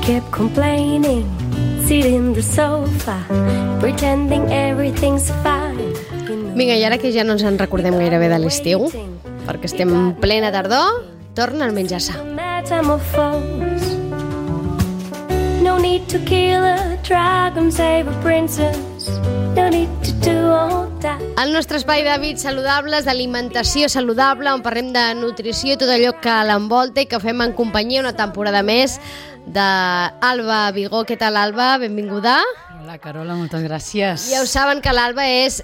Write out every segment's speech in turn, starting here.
keep complaining, sitting in the sofa, pretending everything's fine. Vinga, i ara que ja no ens en recordem gairebé de l'estiu, perquè estem en plena tardor, torna el menjar-se. No need to kill a dragon, save a princess. No need to do all that. El nostre espai d'hàbits saludables, d'alimentació saludable, on parlem de nutrició i tot allò que l'envolta i que fem en companyia una temporada més d'Alba Vigó. Què tal, Alba? Benvinguda. Hola, Carola, moltes gràcies. Ja ho saben que l'Alba és...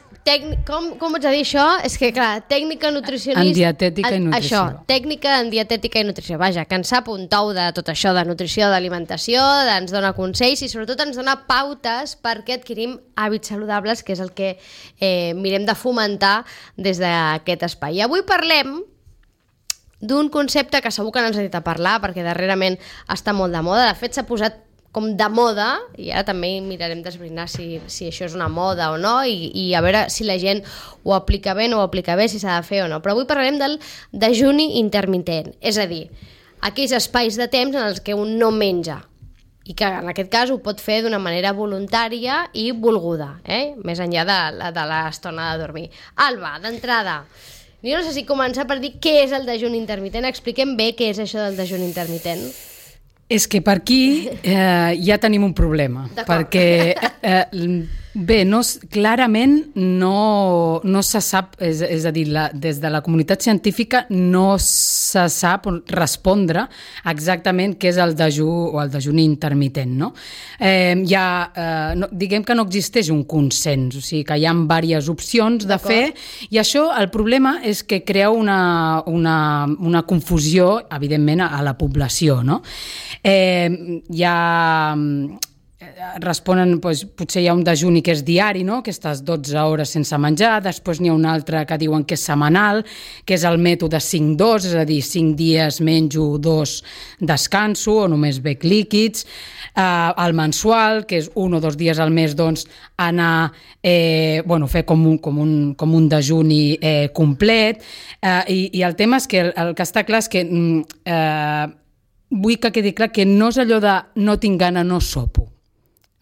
Com ets a dir això? És que, clar, tècnica nutricionista... En dietètica i nutrició. Això, tècnica en dietètica i nutrició. Vaja, que en sap un tou de tot això, de nutrició, d'alimentació, ens dona consells i sobretot ens dona pautes perquè adquirim hàbits saludables, que és el que mirem de fomentar des d'aquest espai. I avui parlem d'un concepte que segur que no ens ha dit a parlar, perquè darrerament està molt de moda. De fet, s'ha posat com de moda, i ara també mirarem d'esbrinar si això és una moda o no, i a veure si la gent ho aplica bé, no ho aplica bé, si s'ha de fer o no. Però avui parlarem del dejuni intermitent, és a dir, aquells espais de temps en els que un no menja, i que en aquest cas ho pot fer d'una manera voluntària i volguda, més enllà de l'estona de dormir. Alba, d'entrada, jo no sé si començar per dir què és el dejuni intermitent. Expliquem bé què és això del dejuni intermitent. És que per aquí ja tenim un problema, perquè clarament no se sap, és a dir, des de la comunitat científica no se sap respondre exactament què és el dejú o el dejuni intermitent, no? Diguem que no existeix un consens, o sigui que hi ha diverses opcions de fer, i això, el problema és que crea una confusió, evidentment, a la població, no? Responen, potser hi ha un dejuni que és diari, no? Aquestes 12 hores sense menjar, després n'hi ha un altre que diuen que és setmanal, que és el mètode 5-2, és a dir, 5 dies menjo, 2 descanso, o només bec líquids, el mensual, que és 1 o 2 dies al mes, doncs, anar, fer com un dejuni complet, i el tema és que el que està clar és que vull que quedi clar que no és allò de no tinc gana, no sopo.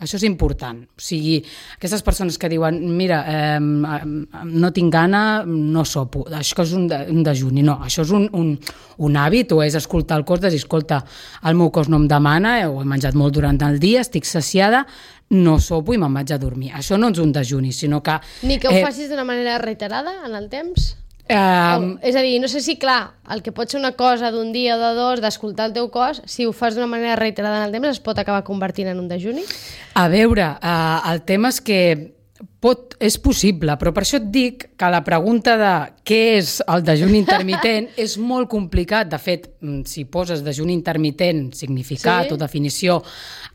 Això és important. O sigui, aquestes persones que diuen mira, no tinc gana, no sopo. Això és un dejuni. No, això és un hàbit, o és escoltar el cos de dir, escolta, el meu cos no em demana, o he menjat molt durant el dia, estic saciada, no sopo i me'n vaig a dormir. Això no és un dejuni, sinó que... Ni que ho facis d'una manera reiterada en el temps? És a dir, no sé si, clar, el que pot ser una cosa d'un dia o de dos, d'escoltar el teu cos, si ho fas d'una manera reiterada en el temps, es pot acabar convertint en un dejuni? A veure, el tema és que és possible, però per això et dic que la pregunta de què és el dejuni intermitent és molt complicat. De fet, si poses dejuni intermitent, significat o definició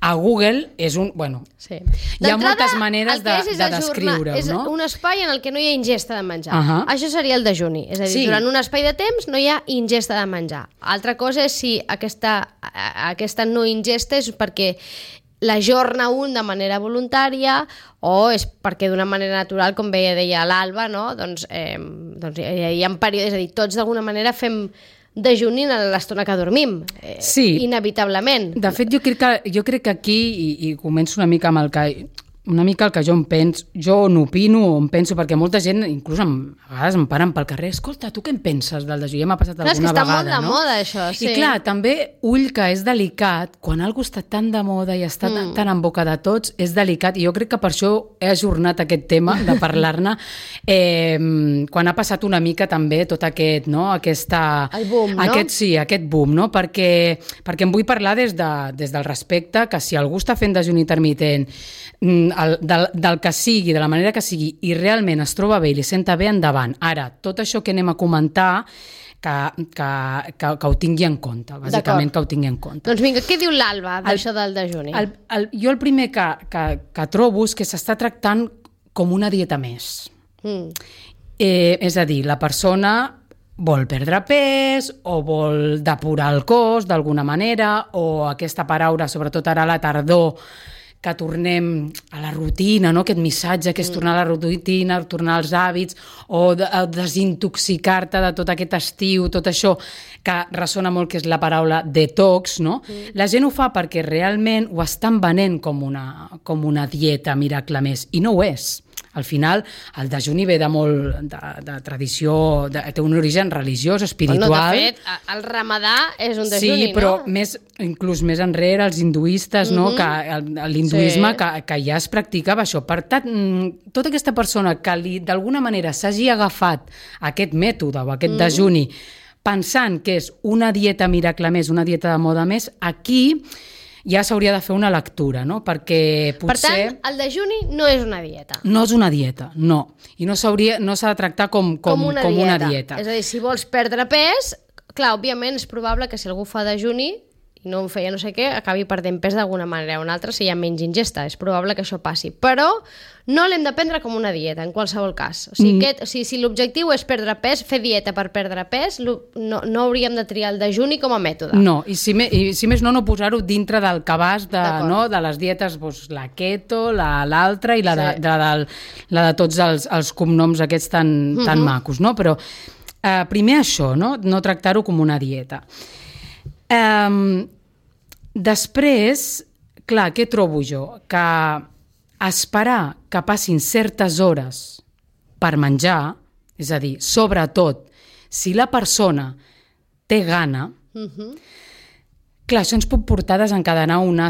a Google, és un... Sí. Hi ha moltes maneres de descriure-ho, és no? un espai en el que no hi ha ingesta de menjar. Això seria el dejuni. És a dir, durant un espai de temps no hi ha ingesta de menjar. Altra cosa és si aquesta no ingesta és perquè l'ajorna un de manera voluntària o és perquè d'una manera natural, com deia l'Alba, no? Doncs hi ha períodes, és a dir, tots d'alguna manera fem dejuni a l'estona que dormim, inevitablement. De fet, jo crec que aquí, i començo una mica amb el que jo em penso, jo n'opino o em penso, perquè molta gent, inclús a vegades em paren pel carrer, escolta, tu què en penses del dejuni? Ja m'ha passat alguna vegada, no? És que està molt de moda, això, sí. I clar, també, ull, que és delicat, quan algú està tan de moda i està tan en boca de tots, és delicat, i jo crec que per això he ajornat aquest tema de parlar-ne, quan ha passat una mica també tot aquest, no? El boom, no? Aquest boom, no? Perquè em vull parlar des del respecte, que si algú està fent dejuni intermitent, del que sigui, de la manera que sigui, i realment es troba bé i li senta bé, endavant. Ara, tot això que anem a comentar, que ho tingui en compte, bàsicament que ho tingui en compte. Doncs vinga, què diu l'Alba d'això del dejuni? Jo el primer que trobo és que s'està tractant com una dieta més. És a dir, la persona vol perdre pes o vol depurar el cos d'alguna manera, o aquesta paraula, sobretot ara a la tardor, que tornem a la rutina, no? Aquest missatge que és tornar a la rutina, tornar als hàbits, o desintoxicar-te de tot aquest estiu, tot això que ressona molt, que és la paraula detox, no? La gent ho fa perquè realment ho estan venent com una dieta miracle més, i no ho és. Al final, el dejuni ve de molt de tradició, té un origen religiós, espiritual. No, de fet, el ramadà és un dejuni, sí, però inclús més enrere, els hinduistes, no? Que l'hinduisme que ja es practicava això. Per tant, tota aquesta persona que d'alguna manera s'hagi agafat aquest mètode o aquest dejuni pensant que és una dieta miracle més, una dieta de moda més, aquí ja s'hauria de fer una lectura, no? Perquè potser... Per tant, el dejuni no és una dieta. No és una dieta, no. I no s'ha de tractar com una dieta. És a dir, si vols perdre pes, clar, òbviament és probable que si algú fa dejuni i no en feia no sé què, acabi perdent pes d'alguna manera o una altra si hi ha menys ingesta. És probable que això passi. Però no l'hem de prendre com una dieta, en qualsevol cas. O sigui, si l'objectiu és perdre pes, fer dieta per perdre pes, no hauríem de triar el dejuni com a mètode. No, i si més no posar-ho dintre del cabàs de les dietes, doncs, la keto, l'altra i la de tots els cognoms aquests tan macos, no? Però primer això, no tractar-ho com una dieta. Després, clar, què trobo jo? Que esperar que passin certes hores per menjar, és a dir, sobretot, si la persona té gana, clar, això ens pot portar a desencadenar un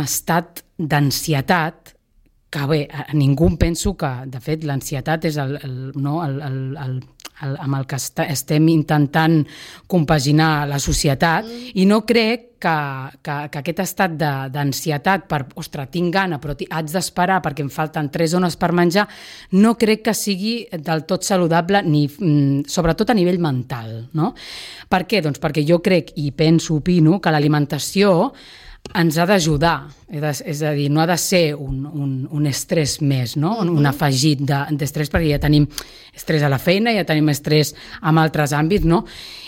estat d'ansietat que, bé, a ningú penso que, de fet, l'ansietat és amb el que estem intentant compaginar la societat, i no crec que aquest estat d'ansietat per, ostres, tinc gana, però haig d'esperar perquè em falten 3 hores per menjar, no crec que sigui del tot saludable, sobretot a nivell mental, no? Per què? Doncs perquè jo crec i opino que l'alimentació ens ha d'ajudar, és a dir, no ha de ser un estrès més, no? Un afegit d'estrès, perquè ja tenim estrès a la feina, ja tenim estrès en altres àmbits, no?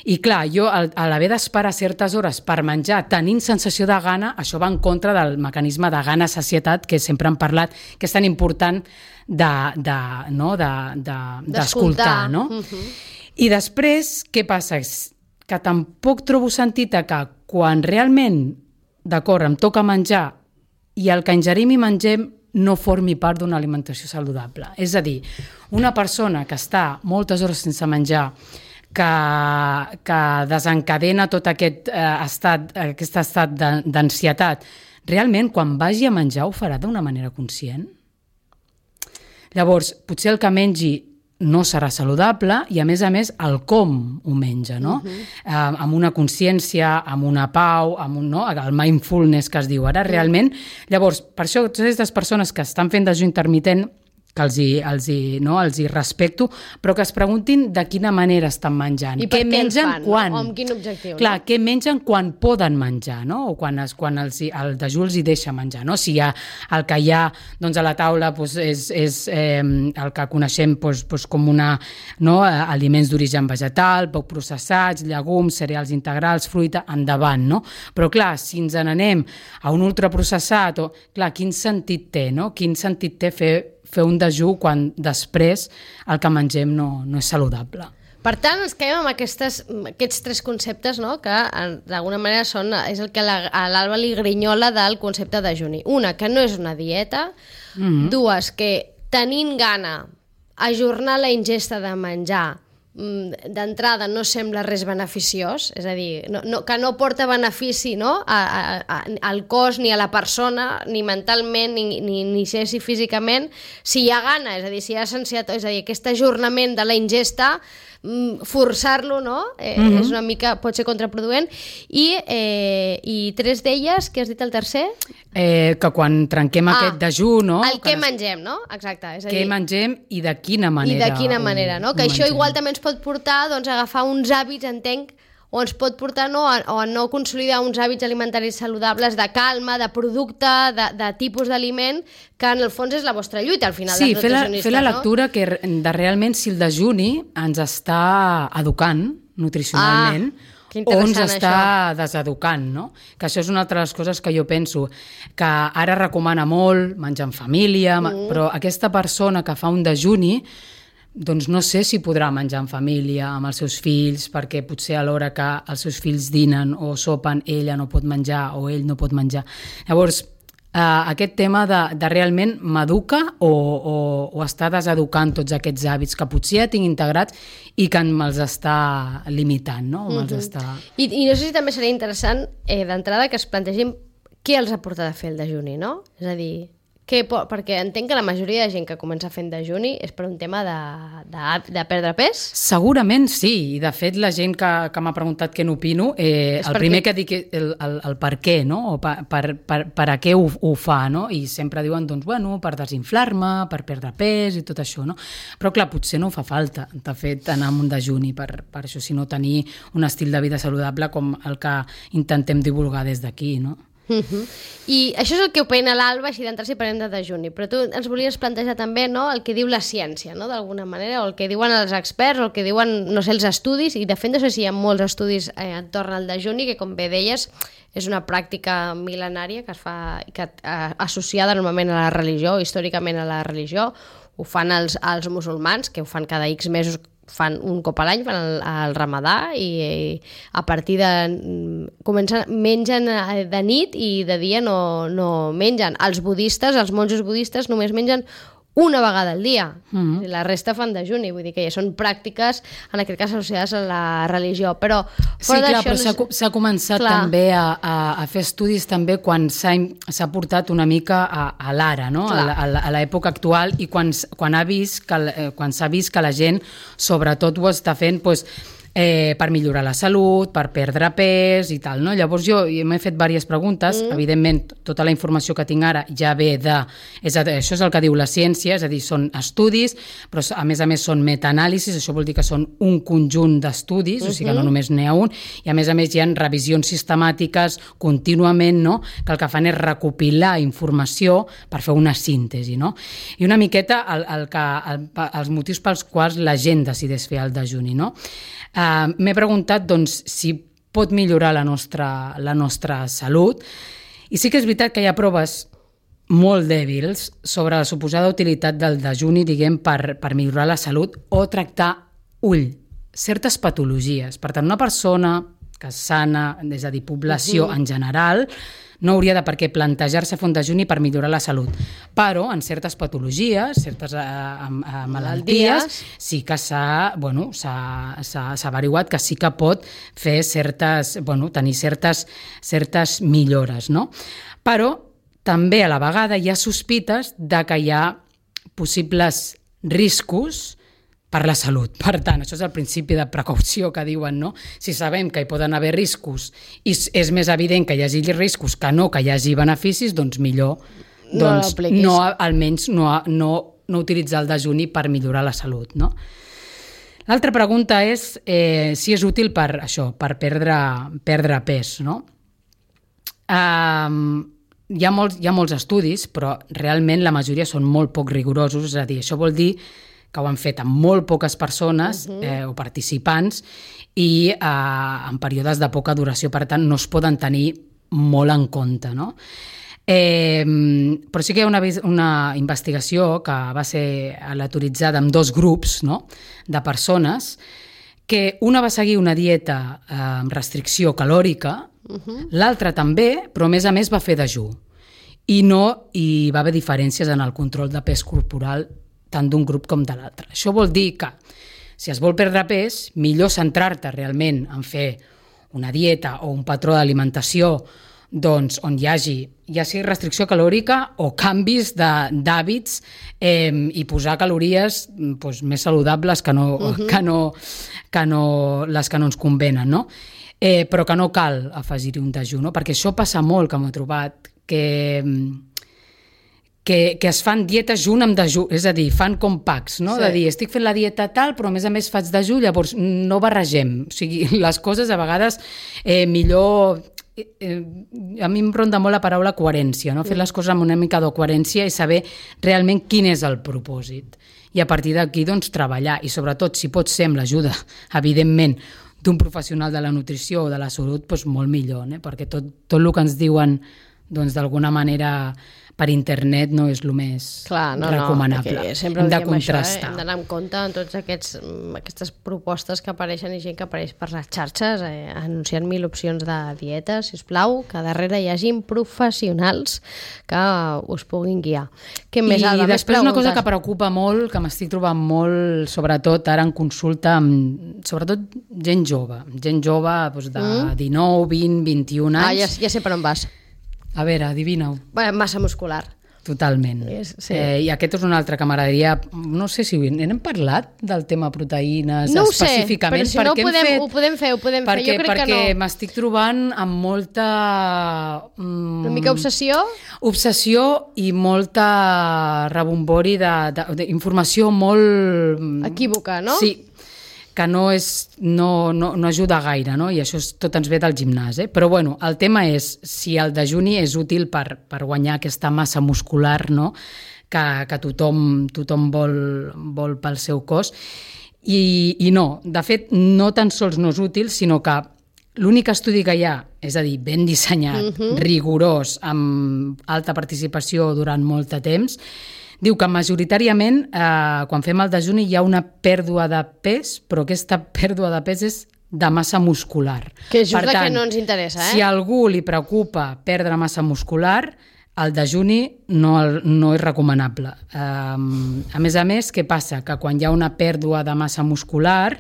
I clar, jo, a l'haver d'esperar certes hores per menjar tenint sensació de gana, això va en contra del mecanisme de gana-sacietat que sempre hem parlat, que és tan important d'escoltar, no? I després, què passa? Que tampoc trobo sentit que quan realment d'acord, em toca menjar i el que ingerim i mengem no formi part d'una alimentació saludable. És a dir, una persona que està moltes hores sense menjar, que desencadena tot aquest estat d'ansietat, realment, quan vagi a menjar, ho farà d'una manera conscient? Llavors, potser el que mengi no serà saludable i, a més, el com ho menja, no? Amb una consciència, amb una pau, el mindfulness que es diu ara, realment. Llavors, per això, totes aquestes persones que estan fent dejú intermitent, que els hi respecto, però que es preguntin de quina manera estan menjant. I per què mengen fan, quan? O amb quin objectiu? Clar, què mengen quan poden menjar, no? O quan el dejú els hi deixa menjar, no? Si el que hi ha a la taula és el que coneixem com aliments d'origen vegetal, poc processats, llegums, cereals integrals, fruita, endavant, no? Però clar, si ens n'anem a un ultraprocessat, clar, quin sentit té, no? Quin sentit té fer un dejú quan després el que mengem no és saludable. Per tant, ens quedem amb aquests 3 conceptes, no? Que d'alguna manera és el que a l'Alba li grinyola del concepte de dejuni. Una, que no és una dieta. 2, que tenint gana, ajornar la ingesta de menjar d'entrada no sembla res beneficiós, és a dir, que no porta benefici, no? Al cos ni a la persona, ni mentalment, ni sé si físicament, si hi ha gana, és a dir, si hi ha ansietat, és a dir, aquest ajornament de la ingesta, forçar-lo, no? És una mica, pot ser contraproduent. I 3 d'elles, què has dit el tercer? Que quan trenquem aquest dejú, no? El que mengem, no? Exacte. És a dir, què mengem i de quina manera. I de quina manera, no? Que això igual també ens pot portar a agafar uns hàbits, entenc, o ens pot portar a no consolidar uns hàbits alimentaris saludables de calma, de producte, de tipus d'aliment, que en el fons és la vostra lluita, al final, dels nutricionistes. Fer la lectura de realment si el dejuni ens està educant nutricionalment o ens està deseducant, no? Que això és una altra de les coses que jo penso, que ara recomana molt menjar en família, però aquesta persona que fa un dejuni doncs no sé si podrà menjar en família amb els seus fills, perquè potser a l'hora que els seus fills dinen o sopen ella no pot menjar o ell no pot menjar. Llavors, aquest tema de realment m'educa o està deseducant tots aquests hàbits que potser ja tinc integrats i que me'ls està limitant, no? I no sé si també seria interessant d'entrada que es plantegin què els ha portat a fer el dejuni, no? És a dir, perquè entenc que la majoria de gent que comença fent dejuni és per un tema de perdre pes? Segurament sí, i de fet la gent que m'ha preguntat què n'opino, el primer que dic el per què, no? O per a què ho fa, no? I sempre diuen, doncs, bueno, per desinflar-me, per perdre pes i tot això, no? Però clar, potser no fa falta, de fet, anar amb un dejuni per això, sinó tenir un estil de vida saludable com el que intentem divulgar des d'aquí, no? I això és el que opina l'Alba, així d'entrar si parlem de dejuni, però tu ens volies plantejar també, no?, el que diu la ciència, no?, d'alguna manera, o el que diuen els experts, o el que diuen, no sé, els estudis, i de fet no sé si hi ha molts estudis entorn al dejuni, que com bé deies és una pràctica mil·lenària que es fa associada normalment a la religió, històricament a la religió. Ho fan els musulmans, que ho fan cada X mesos, fan un cop a l'any, fan el ramadà, i a partir mengen de nit i de dia no mengen. Els budistes, els monjos budistes només mengen una vegada al dia. La resta fan dejuni, vull dir que ja són pràctiques, en aquest cas associades a la religió. Però sí, clar, però s'ha començat també a fer estudis també quan s'ha portat una mica a l'ara, no? A l'època actual, i quan s'ha vist que la gent sobretot ho està fent per millorar la salut, per perdre pes i tal, no? Llavors jo m'he fet diverses preguntes, evidentment tota la informació que tinc ara ja ve això és el que diu la ciència, és a dir, són estudis, però a més són metaanàlisis, això vol dir que són un conjunt d'estudis, o sigui que no només n'hi ha un, i a més hi ha revisions sistemàtiques contínuament, no?, que el que fan és recopilar informació per fer una síntesi, no? I una miqueta els motius pels quals la gent decideix fer el dejuni, no? M'he preguntat, doncs, si pot millorar la nostra salut, i sí que és veritat que hi ha proves molt dèbils sobre la suposada utilitat del dejuni, diguem, per millorar la salut o tractar, certes patologies. Per tant, una persona que és sana, és a dir, població en general, no hauria de per què plantejar-se fer un dejuni per millorar la salut. Però en certes patologies, certes malalties, sí que s'ha averiguat que sí que pot fer tenir certes millores, no? Però també a la vegada hi ha sospites de que hi ha possibles riscos per la salut. Per tant, això és el principi de precaució que diuen, no? Si sabem que hi poden haver riscos i és més evident que hi hagi riscos que hi hagi beneficis, doncs millor almenys no utilitzar el dejuni per millorar la salut, no? L'altra pregunta és si és útil per això, per perdre pes, no? Hi ha molts estudis, però realment la majoria són molt poc rigorosos, és a dir, això vol dir que ho han fet amb molt poques persones o participants i en períodes de poca duració, per tant no es poden tenir molt en compte, no? Però sí que hi ha una investigació que va ser aleatoritzada amb 2 grups, no?, de persones, que una va seguir una dieta amb restricció calòrica, l'altra també, però a més va fer dejú, i no hi va haver diferències en el control de pes corporal tant d'un grup com de l'altre. Això vol dir que, si es vol perdre pes, millor centrar-te realment en fer una dieta o un patró d'alimentació doncs, on hi hagi ja sigui restricció calòrica o canvis d'hàbits i posar calories més saludables que no les que no ens convenen, no? Però que no cal afegir-hi un dejú, no? Perquè això passa molt, que m'ho he trobat, que es fan dietes junt amb dejú, és a dir, fan com packs, no? Sí. De dir, estic fent la dieta tal, però a més faig dejú, llavors no barregem. O sigui, les coses a vegades millor... a mi em ronda molt la paraula coherència, no? Fer les coses amb una mica de coherència i saber realment quin és el propòsit. I a partir d'aquí, doncs, treballar. I sobretot, si pot ser amb l'ajuda, evidentment, d'un professional de la nutrició o de la salut, doncs molt millor, perquè tot el que ens diuen, doncs, d'alguna manera per internet no és el més recomanable. Sempre hem de diem contrastar. Això, hem d'anar en compte en totes aquestes propostes que apareixen i gent que apareix per les xarxes anunciant 1000 opcions de dieta, sisplau, que darrere hi hagin professionals que us puguin guiar. Què més, Alba? I després una cosa que preocupa molt, que m'estic trobant molt, sobretot ara en consulta, sobretot gent jove doncs de 19, 20, 21 anys. Ja sé per on vas. A veure, adivina-ho. Massa muscular. Totalment. Sí. I aquest és un altre que m'agradaria... No sé si n'hem parlat del tema proteïnes no específicament. No ho sé, però si no ho podem fer. Jo crec que no. Perquè m'estic trobant amb molta... Una mica obsessió? Obsessió i molta rebombori d'informació molt... equívoca, no? Sí, que no ajuda gaire, no? I això tot ens ve del gimnàs. Però bueno, el tema és si el dejuni és útil per guanyar aquesta massa muscular, no? que tothom vol pel seu cos. I no, de fet, no tan sols no és útil, sinó que l'únic estudi que hi ha, és a dir, ben dissenyat, rigorós, amb alta participació durant molt de temps, diu que majoritàriament, quan fem el dejuni, hi ha una pèrdua de pes, però aquesta pèrdua de pes és de massa muscular. Que és just la que no ens interessa, Si a algú li preocupa perdre massa muscular, el dejuni no és recomanable. A més, què passa? Que quan hi ha una pèrdua de massa muscular,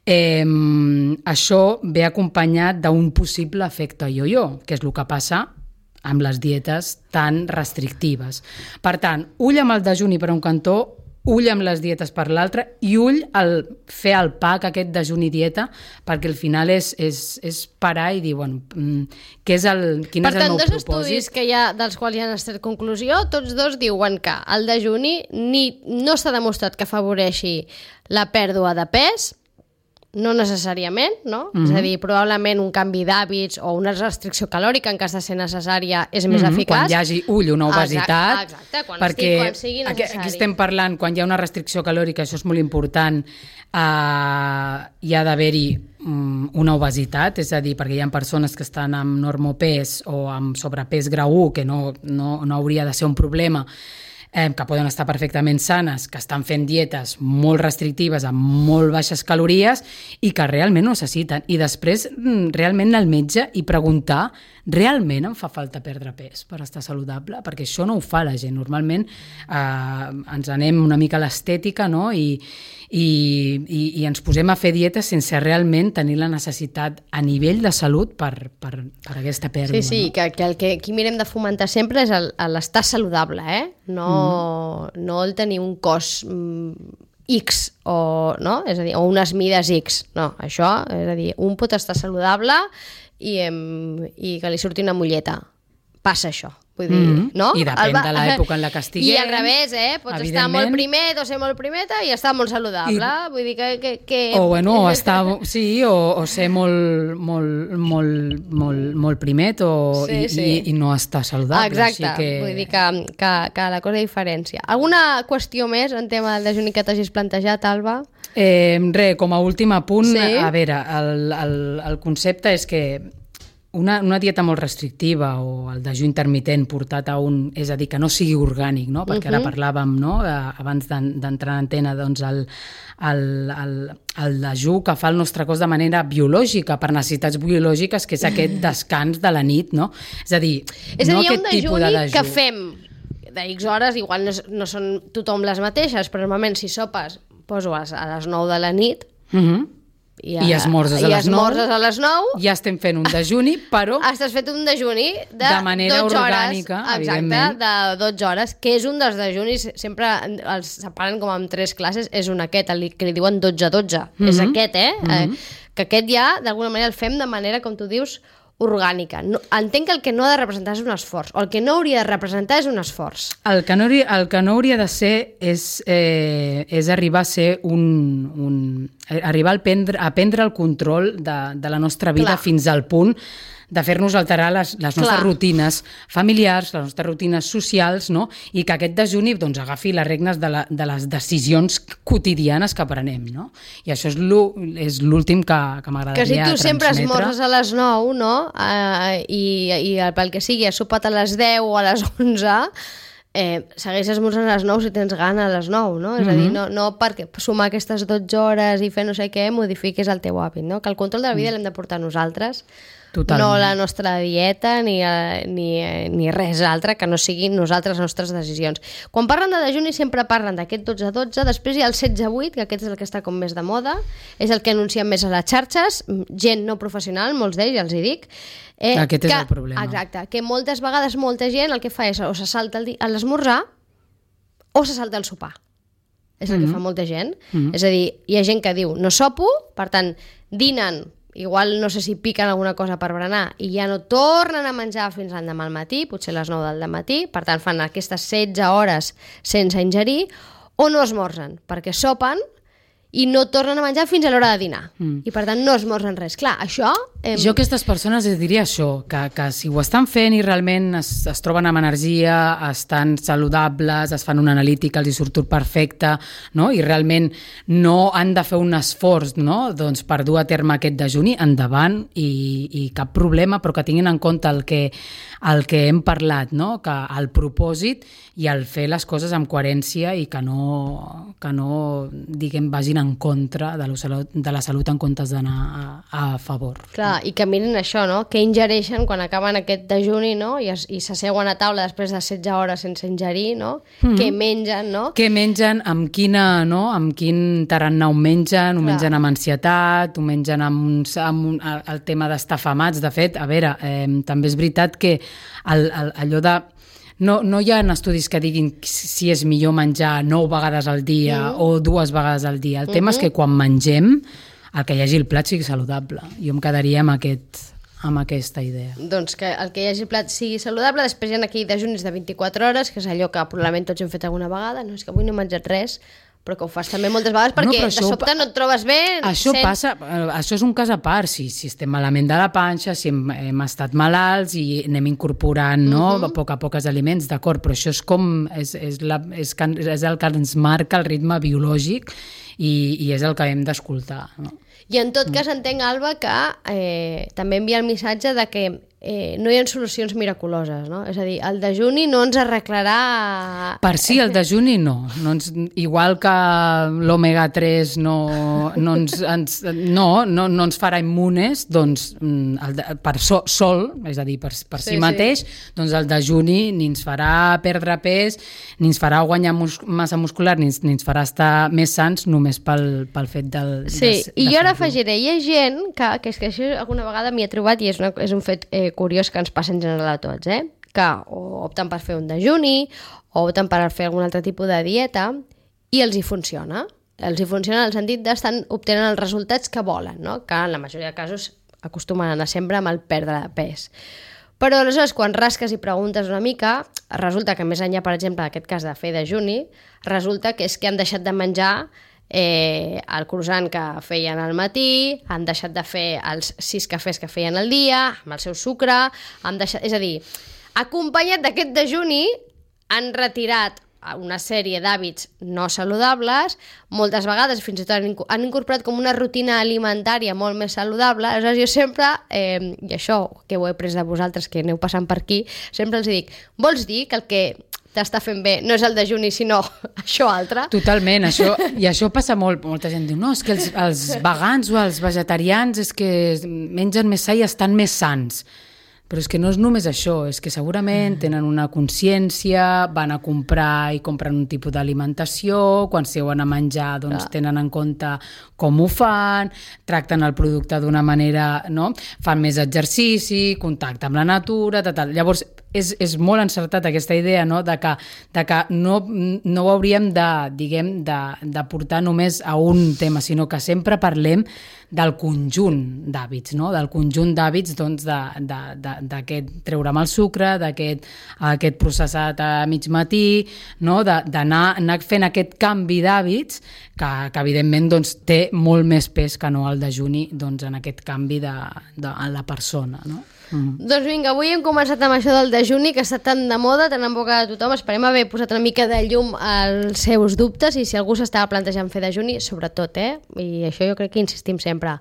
això ve acompanyat d'un possible efecte yo-yo, que és el que passa amb les dietes tan restrictives. Per tant, ull amb el dejuni per un cantó, ull amb les dietes per l'altre i ull al fer el pack aquest dejuni-dieta, perquè al final és parar i dir, bueno, quin és el meu propòsit? Per tant, dos estudis que hi ha, dels quals hi ha estat conclusió, tots dos diuen que el dejuni no s'ha demostrat que afavoreixi la pèrdua de pes, no necessàriament, no? És a dir, probablement un canvi d'hàbits o una restricció calòrica en cas de ser necessària és més eficaç. Quan hi hagi una obesitat. Exacte, quan sigui necessari. Aquí estem parlant, quan hi ha una restricció calòrica, això és molt important, hi ha d'haver-hi una obesitat, és a dir, perquè hi ha persones que estan amb normopès o amb sobrepès grau 1, que no hauria de ser un problema, que poden estar perfectament sanes, que estan fent dietes molt restrictives amb molt baixes calories i que realment ho necessiten. I després realment anar al metge i preguntar, realment em fa falta perdre pes per estar saludable? Perquè això no ho fa la gent. Normalment ens anem una mica a l'estètica, no? I ens posem a fer dietes sense realment tenir la necessitat a nivell de salut per aquesta pèrdua. Sí, no? que el que aquí mirem de fomentar sempre és l'estar saludable, no el tenir un cos X o, no? És a dir, o unes mides X. No, això, és a dir, un pot estar saludable i que li surti una molleta. Passa això. Vull dir, no? I depèn de l'època en la que estiguem. I al revés, pots estar molt primet o ser molt primeta i estar molt saludable. Vull dir que... O bueno, o ser molt primet i no estar saludable. Exacte, vull dir que la cosa diferència. Alguna qüestió més en tema del dejuni que t'hagis plantejat, Alba? Com a últim apunt, a veure, el concepte és que una dieta molt restrictiva o el dejú intermitent portat a és a dir, que no sigui orgànic, no? Perquè ara parlàvem, no? Abans d'entrar en antena, doncs el dejú que fa el nostre cos de manera biològica, per necessitats biològiques, que és aquest descans de la nit, no? És a dir, no aquest tipus de dejú. Que fem de X hores, igual no són tothom les mateixes, però normalment si sopes, poso a les 9 de la nit, i esmorzes a les 9, ja estem fent un dejuni, però estàs fet un dejuni de manera 12 orgànica, hores, evidentment. de 12 hores, que és un dels dejunis, sempre els separen com en 3 classes, és un aquest, que li diuen 12-12, és aquest, que aquest ja, d'alguna manera, el fem de manera, com tu dius, orgànica. Entenc que el que no ha de representar és un esforç, o el que no hauria de representar és un esforç. El que no hauria de ser és arribar a ser arribar a prendre el control de la nostra vida fins al punt de fer-nos alterar les nostres rutines familiars, les nostres rutines socials, no? I que aquest dejuni doncs, agafi les regnes de les decisions quotidianes que prenem, no? I això és l'últim que m'agradaria transmetre. Que si tu sempre esmorzes a les 9, no? I pel que sigui, has sopat a les 10 o a les 11, segueix esmorzant a les 9 si tens gana a les 9, no? És a dir, no perquè sumar aquestes 12 hores i fer no sé què modifiquis el teu hàbit, no? Que el control de la vida l'hem de portar nosaltres. Totalment. No la nostra dieta ni res altre que no siguin nosaltres les nostres decisions. Quan parlen de dejuni sempre parlen d'aquest 12-12, després hi ha el 16-8, que aquest és el que està com més de moda, és el que anuncien més a les xarxes, gent no professional, molts d'ells, ja els hi dic. Aquest és el problema. Exacte, que moltes vegades molta gent el que fa és o se salta l'esmorzar o se salta el sopar. És el que fa molta gent. És a dir, hi ha gent que diu no sopo, per tant, dinen, igual no sé si piquen alguna cosa per berenar i ja no tornen a menjar fins l'endemà al matí, potser a les 9 del matí, per tant fan aquestes 16 hores sense ingerir, o no esmorzen, perquè sopen i no tornen a menjar fins a l'hora de dinar. I per tant no esmorzen res. Clar, això... Jo a aquestes persones els diria això, que si ho estan fent i realment es troben amb energia, estan saludables, es fan una analítica, els hi surt tot perfecte, no? I realment no han de fer un esforç, no? Doncs per dur a terme aquest dejuni, endavant, i cap problema, però que tinguin en compte el que hem parlat, no? Que el propòsit i el fer les coses amb coherència i que no diguem, vagin en contra de la salut en comptes d'anar a favor. Clar, i que mirin això, no? Què ingereixen quan acaben aquest dejuni, no? I s'asseuen a taula després de 16 hores sense ingerir, no? Què mengen, no? Què mengen, amb quin tarannà ho mengen, ho mengen amb ansietat, ho mengen amb el tema d'estar afamats. De fet, a veure, també és veritat que allò de... No hi ha estudis que diguin si és millor menjar 9 vegades al dia o 2 vegades al dia. El tema és que quan mengem, el que hi hagi el plat sigui saludable. Jo em quedaria amb aquesta idea. Doncs que el que hi hagi el plat sigui saludable. Després hi ha aquí dejunis de 24 hores, que és allò que probablement tots hem fet alguna vegada. No, és que avui no he menjat res, però que ho fas també moltes vegades perquè de sobte no et trobes bé. Això passa, això és un cas a part, si estem malament de la panxa, si hem estat malalts i anem incorporant a poc els aliments, d'acord, però això és el que ens marca el ritme biològic i és el que hem d'escoltar. No? I en tot cas entenc, Alba, que també envia el missatge de que no hi ha solucions miraculoses, no? És a dir, el dejuni no ens arreglarà... Per si el dejuni no. Igual que l'omega 3 no ens farà immunes, doncs per sol, és a dir, per si mateix, doncs el dejuni ni ens farà perdre pes, ni ens farà guanyar massa muscular, ni ens farà estar més sans només pel fet del... Sí, i jo ara afegiré, hi ha gent que és que això alguna vegada m'hi he trobat i és un fet curiós que ens passa en general a tots, que o opten per fer un dejuni o opten per fer algun altre tipus de dieta i els hi funciona. Els hi funciona en el sentit d'estar obtenint els resultats que volen, no? Que en la majoria de casos acostumen a anar sempre amb el perdre de pes. Però aleshores, quan rasques i preguntes una mica, resulta que més enllà, per exemple, d'aquest cas de fer dejuni, resulta que és que han deixat de menjar el croissant que feien al matí, han deixat de fer els 6 cafès que feien al dia, amb el seu sucre, és a dir, acompanyat d'aquest dejuni, han retirat una sèrie d'hàbits no saludables, moltes vegades fins i tot han incorporat com una rutina alimentària molt més saludable. Aleshores jo sempre, i això que ho he pres de vosaltres que aneu passant per aquí, sempre els dic, vols dir que el que t'està fent bé no és el dejuni sinó això altre? Totalment, i això passa molt. Molta gent diu, no, és que els vegans o els vegetarians és que mengen més sa i estan més sans. Però és que no és només això, és que segurament tenen una consciència, van a comprar i compren un tipus d'alimentació, quan seuen a menjar doncs tenen en compte com ho fan, tracten el producte d'una manera, no? Fan més exercici, contacte amb la natura, tal. Llavors, és molt encertat aquesta idea, no? de que no ho hauríem de portar només a un tema, sinó que sempre parlem del conjunt d'hàbits, no? Del conjunt d'hàbits doncs, d'aquest treure'm el sucre, d'aquest processat a mig matí, no? D'anar fent aquest canvi d'hàbits que evidentment doncs, té molt més pes que no el dejuni doncs, en aquest canvi de la persona, no? Doncs vinga, avui hem començat amb això del dejuni, que està tan de moda, tan en boca de tothom. Esperem haver posat una mica de llum als seus dubtes, i si algú s'estava plantejant fer dejuni, sobretot, i això jo crec que insistim sempre,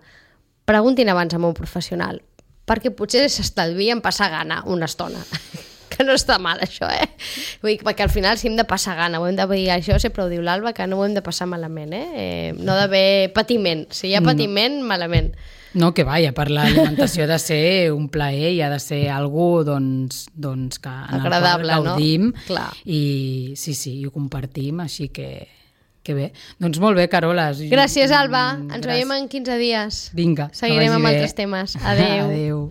preguntin abans amb un professional, perquè potser s'estalvien passar gana una estona. Que no està mal, això, Vull dir, perquè al final si hem de passar gana, ho hem de dir, això sempre ho diu l'Alba, que no ho hem de passar malament, no d'haver patiment. Si hi ha patiment, malament. No, que vaja, per l'alimentació ha de ser un plaer i ha de ser algú doncs, que en agradable, el qual gaudim, no? Clar. I sí, ho compartim, així que bé. Doncs molt bé, Carola. Gràcies, Alba. Ens veiem en 15 dies. Vinga, seguirem amb altres temes. Adéu. Adéu.